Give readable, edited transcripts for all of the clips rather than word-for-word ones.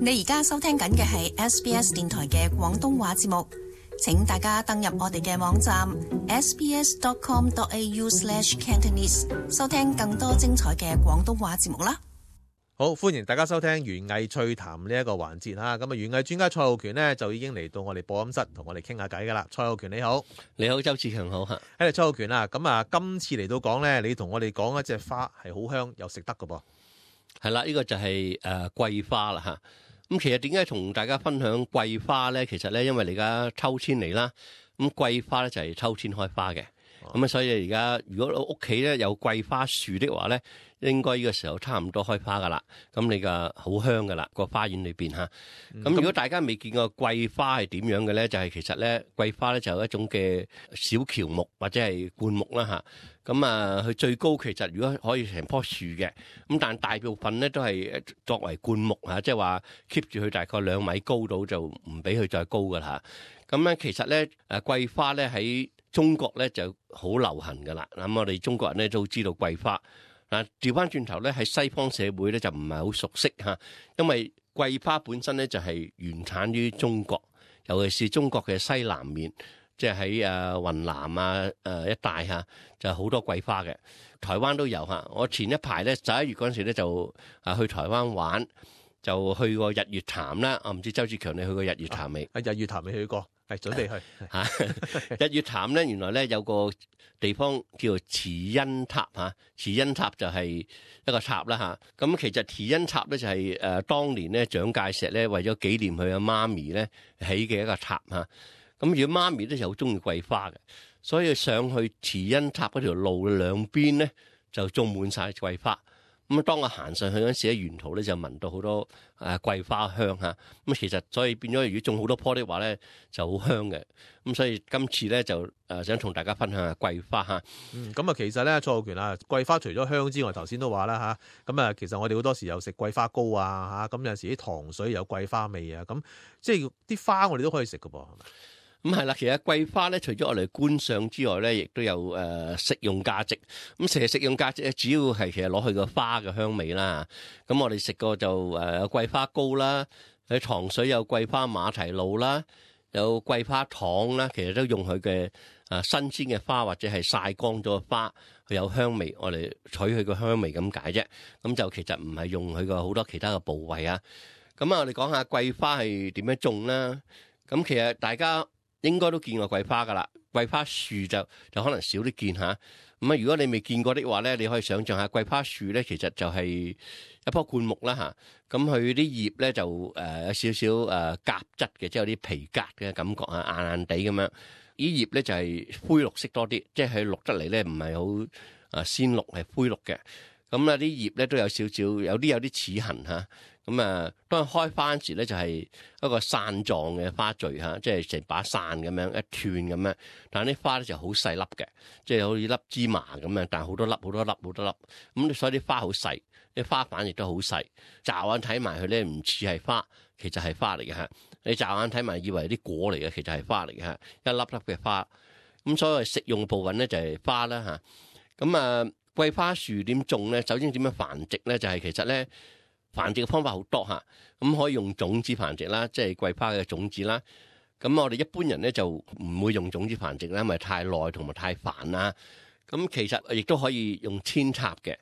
你而家收聽緊嘅係 SBS 電台嘅廣東話節目，請大家登入我哋嘅網站 sbs.com.au/cantonese 收聽更多精彩嘅廣東話節目啦。好，歡迎大家收聽園藝趣談呢一個環節哈。咁啊，園藝專家蔡浩權呢，就已經嚟到我哋播音室同我哋傾下偈噶啦。蔡浩權你好。你好，周志強好吓。蔡浩權啊，咁啊，今次嚟到講呢，你同我哋講一隻花係好香又食得噶噃。係啦，呢個就係桂花啦吓。咁其實點解同大家分享桂花咧？其實咧，因為你而家秋天嚟啦，咁桂花咧就係秋天開花嘅。咁所以而家如果屋企咧有桂花樹的話咧，應該呢個時候差唔多開花噶啦。咁你個好香噶啦，個花園裏邊吓。咁如果大家未見過桂花係點樣嘅咧，就係其實咧桂花咧就有一種嘅小喬木或者係灌木啦吓。咁啊，佢最高其實如果可以成棵樹嘅，咁但大部分咧都係作為灌木吓，即係話 keep 住佢大概2米高度就唔俾佢再高噶啦。咁咧其實咧桂花咧喺中國咧就好流行噶啦。咁我哋中國人咧都知道桂花。嗱，調翻轉頭咧喺西方社會咧就唔係好熟悉吓，因為桂花本身咧就係原產於中國，尤其是中國嘅西南面，即係喺雲南啊一帶吓，就好多桂花嘅。台灣都有吓。我前一排咧11月嗰陣時咧就去台灣玩，就去過日月潭啦。我唔知周志強你去過日月潭未？日月潭未去過，係準備去吓。日月潭咧原來咧有個地方叫做慈恩塔吓，慈恩塔就係一個塔啦吓。咁其實慈恩塔咧就係當年咧蔣介石咧為咗紀念佢阿媽咪咧起嘅一個塔吓。咁如果媽咪咧就好中意桂花嘅，所以上去慈恩塔嗰條路兩邊咧就種滿晒桂花。咁當我行上去嗰陣時咧，沿途咧就聞到好多桂花香嚇。咁其實所以變咗，如果種好多棵的話咧，就好香嘅。咁所以今次咧就想同大家分享下桂花嚇。咁啊，其實咧蔡浩權啊，桂花除咗香之外，頭先都話啦嚇。咁啊，其實我哋好多時有食桂花糕啊嚇。咁有陣時啲糖水有桂花味啊。咁即係啲花我哋都可以食㗎噃，係咪？咁係啦，其實桂花咧，除咗我哋觀賞之外咧，亦都有食用價值。咁其實食用價值咧，主要係其實攞佢個花嘅香味啦。咁我哋食過就有桂花糕啦，喺糖水有桂花馬蹄露啦，有桂花糖啦。其實都用佢嘅新鮮嘅花或者係曬乾咗嘅花，佢有香味，我哋取佢個香味咁解啫。咁就其實唔係用佢個好多其他嘅部位啊。咁啊，我哋講下桂花係點樣種啦。咁其實大家應該都見過桂花噶啦，桂花樹就可能少啲見吓。咁啊，如果你未見過的話咧，你可以想象下桂花樹咧，其實就係一棵灌木啦吓。咁佢啲葉咧就有少少夾質嘅，即係有啲皮革嘅感覺啊，硬硬地咁樣。啲葉咧就係灰綠色多啲，即係佢綠得嚟咧唔係好鮮綠，係灰綠嘅。咁啊啲葉咧都有少少，有啲齒痕吓。咁啊，當佢開花嗰時咧，就係一個傘狀嘅花序嚇，即係成把傘咁樣一串咁樣。但係啲花咧就好細粒嘅，即係好似粒芝麻咁樣，但係好多粒。咁所以啲花好細，啲花瓣亦都好細。驟眼睇埋佢咧，唔似係花，其實係花嚟嘅嚇。你驟眼睇埋以為啲果嚟嘅，其實係花嚟嘅嚇，一粒粒嘅花。咁所謂食用部分咧就係花啦嚇。咁啊，桂花樹點種咧？首先點樣繁殖咧？就係其實咧。繁殖嘅方法好多嚇，咁可以用種子繁殖啦，即係桂花嘅種子啦。咁我哋一般人咧就唔會用種子繁殖啦，因為太耐同埋太煩啦。咁其實亦都可以用扦插嘅，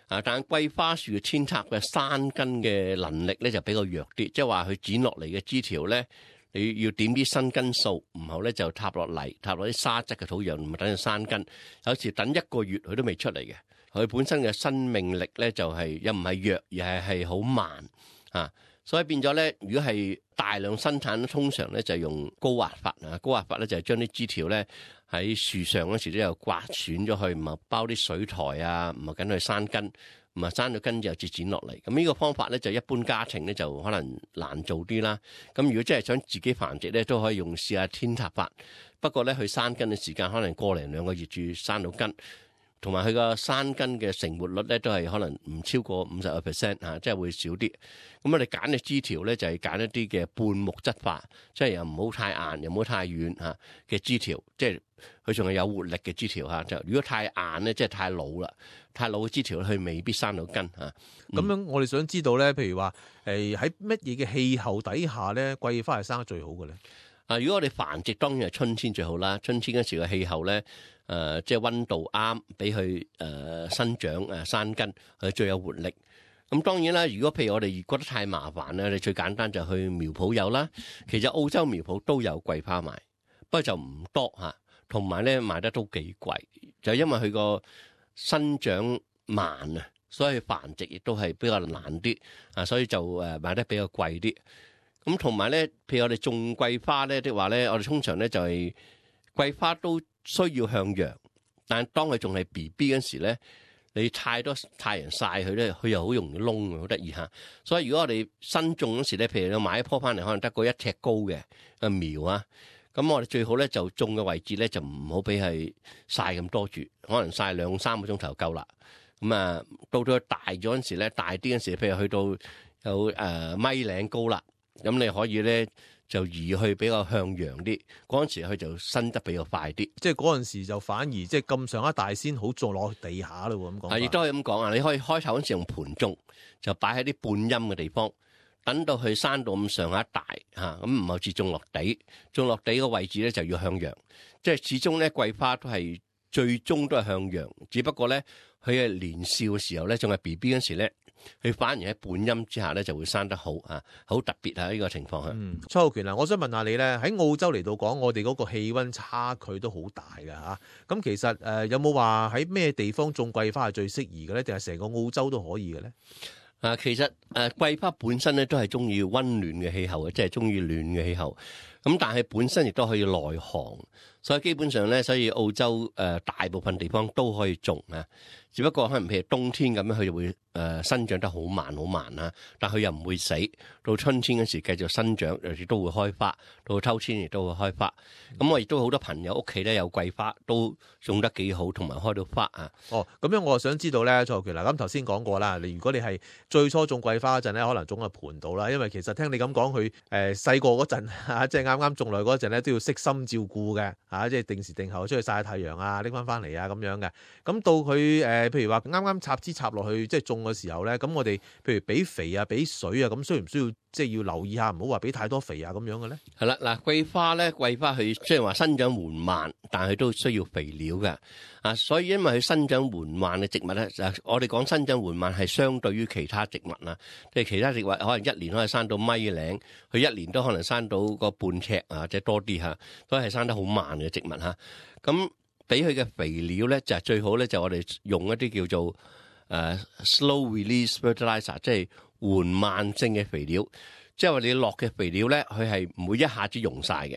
但係桂花樹嘅扦插嘅生根嘅能力咧就比較弱啲，即係話佢剪落嚟嘅枝條咧，你要點啲生根數，唔好咧就踏落泥，踏落啲沙質嘅土壤，唔係等佢生根。有時等1個月佢都未出嚟嘅。佢本身嘅生命力咧就係又唔係弱，而係好慢啊，所以變咗咧，如果係大量生產，通常咧就用高壓法啊。高壓法咧就係將啲枝條咧喺樹上嗰時都有刮損咗佢，唔係包啲水苔啊，唔係緊佢生根，唔係生咗根之後至剪落嚟。咁呢個方法咧就一般家庭咧就可能難做啲啦。咁如果真係想自己繁殖咧，都可以用試下扦插法。不過咧佢生根嘅時間可能1-2個月至生到根。同埋佢個山根嘅成活率咧都係可能唔超過50%嚇，即係會少啲。咁我哋揀嘅枝條咧就係揀一啲嘅半木質化，即係又唔好太硬，又唔好太軟嚇嘅枝條，即係佢仲係有活力嘅枝條嚇。就如果太硬咧，即係太老啦，太老嘅枝條佢未必生到根嚇。咁樣我哋想知道咧，譬如話喺乜嘢嘅氣候底下咧，桂花係生得最好嘅咧？如果我哋繁殖當然係春天最好啦。春天嗰時嘅氣候咧，即係溫度啱，俾佢生長生根，佢最有活力。咁當然啦，如果譬如我哋覺得太麻煩咧，你最簡單就去苗圃有啦。其實澳洲苗圃都有桂花賣，不過就唔多嚇，同埋咧賣得都幾貴，就因為佢個生長慢啊，所以繁殖亦都係比較難啲啊，所以就賣得比較貴啲。咁同埋咧，譬如我哋種桂花咧的話咧，我哋通常咧就係桂花都需要向陽，但係當佢仲係 BB 嗰時咧，你太多太陽曬佢咧，佢又好容易燶，好得意嚇。所以如果我哋新種嗰時咧，譬如你買一棵翻嚟，可能得個1尺高嘅苗啊，咁我哋最好咧就種嘅位置咧就唔好俾佢曬咁多住，可能曬2-3個鐘頭夠啦。咁啊，到佢大咗嗰時咧，大啲嗰時，譬如去到有米零高啦。咁你可以咧就移去比較向陽啲，嗰陣時佢就生得比較快啲。即係嗰陣時就反而即係咁上一大先好種落地下咯喎，咁講。亦都可以咁講啊！你可以開頭嗰陣時用盤種，就擺喺啲半陰嘅地方，等到佢生到咁上下大嚇，咁唔好似種落地。種落地個位置咧就要向陽，即係始終咧桂花都係最終都係向陽，只不過咧佢係年少嘅時候咧，仲係 BB 嗰時咧。佢反而喺半陰之下咧就會生得好啊，好特別啊！呢個情況嚇。蔡浩權啊，我想問下你咧，喺澳洲嚟到講，我哋嗰個氣温差距都好大㗎嚇。咁其實有冇話喺咩地方種桂花係最適宜嘅咧？定係成個澳洲都可以嘅咧？其實桂花本身咧都係中意温暖嘅氣候嘅，即係中意暖嘅氣候。咁但係本身亦都可以耐寒，所以基本上咧，所以澳洲大部分地方都可以種啊。只不過可能譬如冬天咁樣，佢就會生長得好慢好慢啦。但佢又唔會死，到春天嗰時繼續生長，亦都會開花。到秋天亦都會開花。咁我亦都好多朋友屋企咧有桂花，都種得幾好，同埋開到花啊。哦，咁樣我就想知道咧，蔡浩權嗱，咁頭先講過啦，如果你係最初種桂花嗰陣咧，可能種喺盤度啦，因為其實聽你咁講，佢細個嗰陣嚇，即係啱啱種來嗰陣咧，都要悉心照顧嘅嚇，即係定時定候出去曬下太陽啊，拎翻嚟啊咁樣嘅。咁到佢譬如話啱啱插枝插落去，即係種嘅時候咧，咁我哋譬如俾肥啊、俾水啊，咁需唔需要即係要留意下，唔好話俾太多肥啊咁樣嘅咧？係啦，嗱，桂花佢雖然話生長緩慢，但係都需要肥料嘅啊。所以因為佢生長緩慢嘅植物咧，我哋講生長緩慢係相對於其他植物啊，即係其他植物可能一年可以生到米零，佢一年都可能生到個半尺啊，或者多啲嚇，都係生得好慢嘅植物嚇。咁俾佢嘅肥料咧，就係最好咧，就我哋用一啲叫做slow release fertilizer， 即係緩慢性嘅肥料。即係話你落嘅肥料咧，佢係唔會一下子用晒嘅，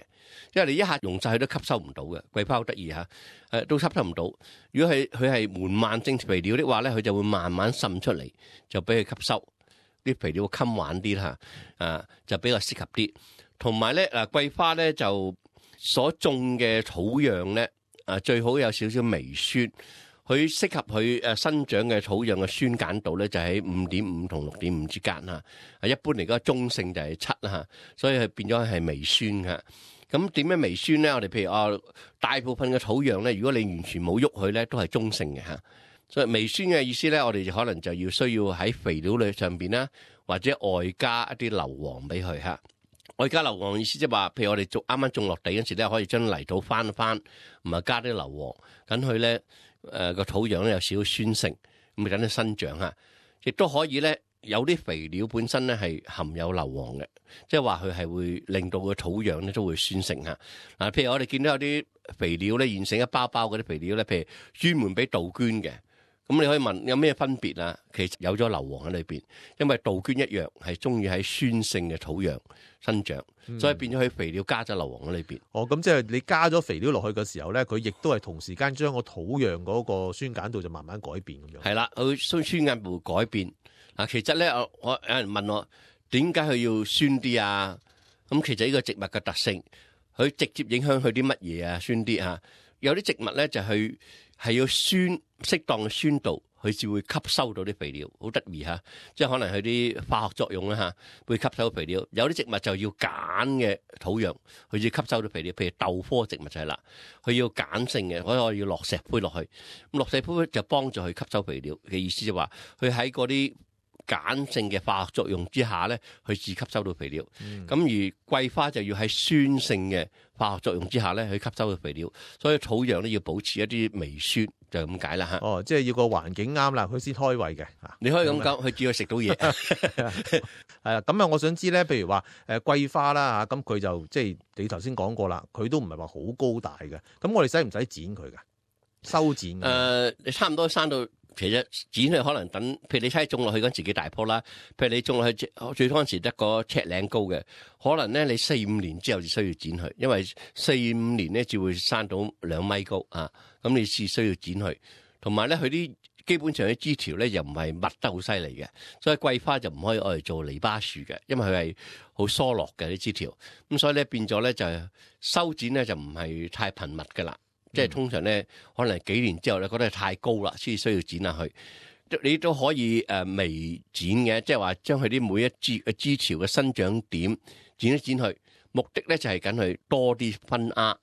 因為你一下用晒佢都吸收唔到嘅。桂花好得意嚇，都吸收唔到。如果佢係緩慢性肥料的話咧，佢就會慢慢滲出嚟，就俾佢吸收。啲肥料會襟玩啲啦，就比較適合啲。同埋咧，桂花咧就所種嘅土壤咧，最好有少少微酸。佢適合佢生長嘅土壤嘅酸鹼度咧，就喺5.5同6.5之間嚇。一般嚟講，中性就係7啦嚇，所以佢變咗係微酸嘅。咁點樣微酸咧？我哋譬如大部分嘅土壤咧，如果你完全冇喐佢咧，都係中性嘅嚇。所以微酸嘅意思咧，我哋就可能就要需要喺肥料裏上邊啦，或者外加一啲硫磺俾佢嚇。外加硫磺意思即係話，譬如我哋啱啱種落地嗰時咧，可以將泥土翻，唔係加啲硫磺，等佢咧個土壤咧有少少酸性，咁咪等佢生長嚇。亦都可以咧，有啲肥料本身咧係含有硫磺嘅，即係話佢係會令到個土壤咧都會酸性嚇。嗱，譬如我哋見到有啲肥料咧現成一包包嗰啲肥料咧，譬如專門俾杜鵑嘅。咁你可以問有咩分別啊？其實有咗硫磺喺裏邊，因為杜鵑一樣係中意喺酸性嘅土壤生長，所以變咗佢肥料加咗硫磺喺裏邊。哦，咁即係你加咗肥料落去嘅時候咧，佢亦都係同時間將個土壤嗰個酸鹼度就慢慢改變咁樣。係啦，佢酸鹼度改變。其實咧，我有人問我點解佢要酸啲啊？咁其實呢個植物嘅特性，佢直接影響佢啲乜嘢啊？酸啲啊？有啲植物咧就係係要適當嘅酸度，佢至會吸收到啲肥料，好得意嚇。即係可能佢啲化學作用啦嚇，會吸收到肥料。有啲植物就要鹼嘅土壤，佢要吸收到肥料。譬如豆科植物就係啦，佢要鹼性嘅，所以要落石灰落去。咁落石灰就幫助佢吸收肥料嘅意思，就話佢喺嗰啲鹼性嘅化學作用之下咧，佢自吸收到肥料。咁而桂花就要喺酸性嘅化學作用之下咧，去吸收到肥料。所以土壤咧要保持一啲微酸，就咁解啦嚇。哦，即係要個環境啱啦，佢先開胃嘅。你可以咁講，佢只要食到嘢。係啊，咁啊，我想知咧，譬如話桂花啦嚇，咁佢就即係你頭先講過啦，佢都唔係話好高大嘅。咁我哋使唔使剪佢㗎？修剪你差唔多生到。其實剪佢可能等，譬如你睇種落去嗰陣時幾大棵啦，譬如你種落去最嗰陣時得個尺零高嘅，可能咧你4-5年之後就需要剪佢，因為4-5年咧就會生到2米高啊，咁你至需要剪佢。同埋咧佢啲基本上啲枝條咧又唔係密得好犀利嘅，所以桂花就唔可以愛嚟做籬笆樹嘅，因為佢係好疏落嘅啲枝條，咁所以咧變咗咧就修剪咧就唔係太頻密噶啦。即係通常咧，可能幾年之後咧，覺得太高啦，先需要剪下去。你都可以微剪嘅，即係話將佢啲每一枝條嘅生長點剪一剪去，目的咧就係緊佢多啲分丫，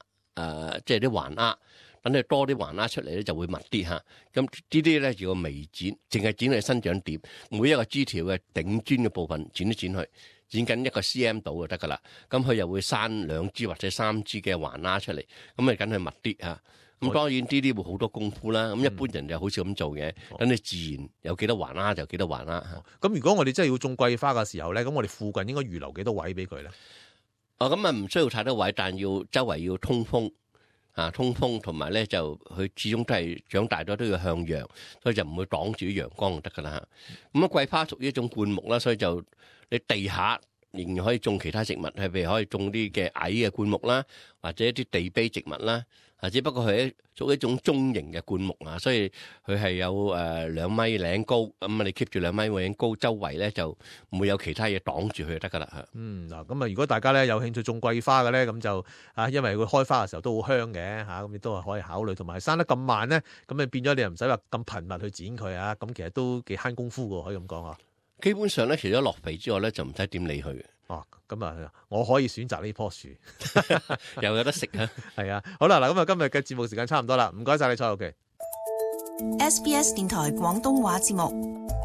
即係啲環丫，等佢多啲環丫出嚟咧就會密啲嚇。咁呢啲咧叫微剪，淨係剪佢生長點，每一個枝條嘅頂端嘅部分剪一剪去。剪緊1個 cm 度就得噶啦，咁佢又會生2支或者3支嘅環丫出嚟，咁咪梗係密啲嚇。咁當然呢啲會好多功夫啦。咁一般人就好少咁做嘅，等你自然有幾多環丫就幾多環丫。咁如果我哋真係要種桂花嘅時候咧，咁我哋附近應該預留幾多位俾佢咧？咁啊唔需要太多位，但要周圍要通風通風，同埋咧就佢始終都係長大咗都要向陽，所以就唔會擋住啲陽光就得噶啦。咁桂花屬於一種灌木啦，所以就你地下仍然可以種其他植物，係譬如可以種啲嘅矮嘅灌木啦，或者一啲地卑植物啦。只不過佢屬於一種中型嘅灌木啊，所以佢係有2米零高，咁你 keep 住2米零高，周圍咧就唔會有其他嘢擋住佢就得噶啦。嗱，咁啊，如果大家咧有興趣種桂花嘅咧，咁就因為佢開花嘅時候都好香嘅咁亦都係可以考慮。同埋生得咁慢咧，咁你變咗你又唔使話咁頻密去剪佢咁其實都幾慳功夫嘅，可以咁講啊。基本上咧，除咗落肥之外咧，就唔使點理佢嘅。咁啊，我可以選擇呢棵樹，又有得食啊！係啊，好啦，嗱，咁啊，今日嘅節目時間差唔多啦，唔該晒你蔡浩騏。SBS 電台廣東話節目。